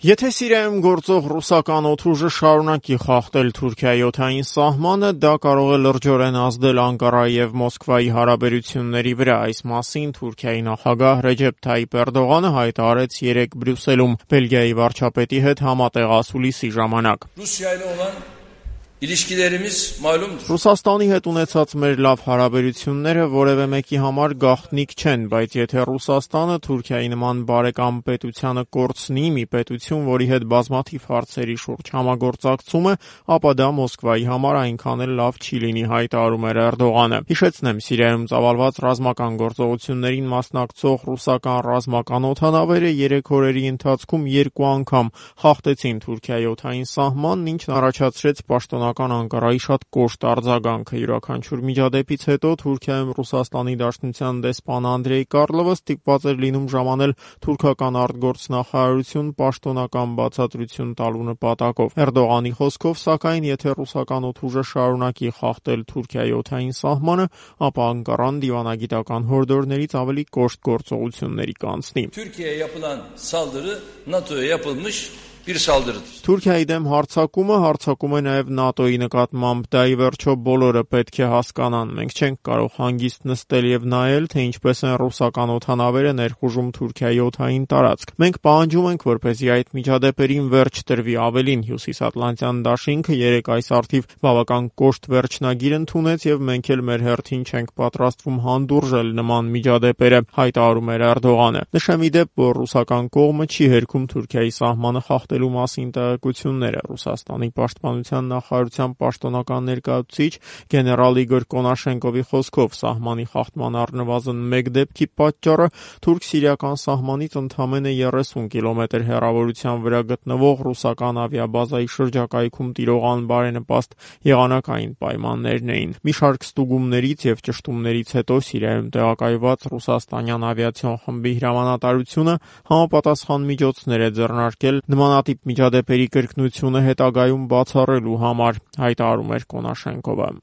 Եթե Սիրիայում գործող ռուսական օդուժը շարունակի խախտել Թուրքիայի օդային սահմանը, դա կարող է լրջորեն ազդել Անկարայի եւ Մոսկվայի հարաբերությունների վրա։ Այս մասին Թուրքիայի նախագահ Ռեջեփ Թայիփ Էրդողանը հայտարարեց երեկ Բրյուսելում Բելգիայի վարչապետի հետ համատեղ ասուլիսի ժամանակ։ Ռուսաստանի հետ ունեցած մեր լավ հարաբերությունները որևէ մեկի համար գաղտնիք չեն, բայց եթե Ռուսաստանը Թուրքիայի նման բարեկամ պետությանը կորցնի, մի պետություն, որի հետ բազմաթիվ հարցերի շուրջ համագործակցում է, ապա դա Մոսկվայի համար այնքան էլ լավ չի լինի, հայտարարում էր Էրդողանը։ Հիշեցնեմ, Սիրիայում ծավալված ռազմական գործողություններին մասնակցող ռուսական ռազմական օդանավերը 3 օրերի ընթացքում 2 անգամ խախտեցին Թուրքիայի օդային սահմանն, ինչն առաջացրեց պաշտոնական Անկարայի շատ կոշտ արձագանքը։ Յուրաքանչյուր միջադեպից հետո Թուրքիայում Ռուսաստանի Դաշնության դեսպան Անդրեյ Կարլովը ստիպված էր լինում ժամանել թուրքական արտգործնախարարություն պաշտոնական բացատրություն տալու նպատակով։ Էրդողանի խոսքով, սակայն, եթե ռուսական օդուժը շարունակի խախտել Թուրքիայի օդային սահմանը, ապա Անկարան դիվանագիտական հորդորներից ավելի կոշտ գործողությունների կանցնի։ Թուրքիայի դեմ հարձակում է նաև ՆԱՏՕ-ի նկատմամբ, դա ի վերջո բոլորը պետք է հասկանան։ Մենք չենք կարող հանգիստ նստել եւ նայել, թե ինչպես են ռուսական օդանավերը ներխուժում Թուրքիայի օդային տարածք։ Մենք պահանջում ենք, որպեսզի այդ միջադեպերին վերջ տրվի, ավելին Հյուսիսատլանտյան դաշինքը երեկ այս առթիվ բավական կոշտ վերջնագիր ընդունեց եւ մենք էլ մեր հերթին չենք պատրաստվում հանդուրժել նման միջադեպերը, հայտարարում էր Էրդողանը։ Նշեմ ի դեպ, որ ռուսական կողմը չի հերքում Թուրքիայի սահմանը խախտելու մասին տեղեկությունները։ Ռուսաստանի պաշտպանության նախարարության պաշտոնական ներկայացուցիչ գեներալ Իգոր Կոնաշենկովի խոսքով սահմանի խախտման առնվազն 1 դեպքի պատճառը թուրք-սիրիական սահմանից ընդամենը 30 կիլոմետր հեռավորության վրա գտնվող ռուսական ավիաբազայի շրջակայքում տիրող անբարենպաստ եղանակային պայմաններն էին։ Մի շարք ստուգումներից եւ ճշտումներից հետո Սիրիայում տեղակայված ռուսաստանյան ավիացիոն խմբի հրամանատարությունը համապատասխան միջոցներ է ձեռնարկել նմանատիպ միջադեպերի կրկնությունը հետագայում բացառելու համար, հայտարարում էր Կոնաշենկովը։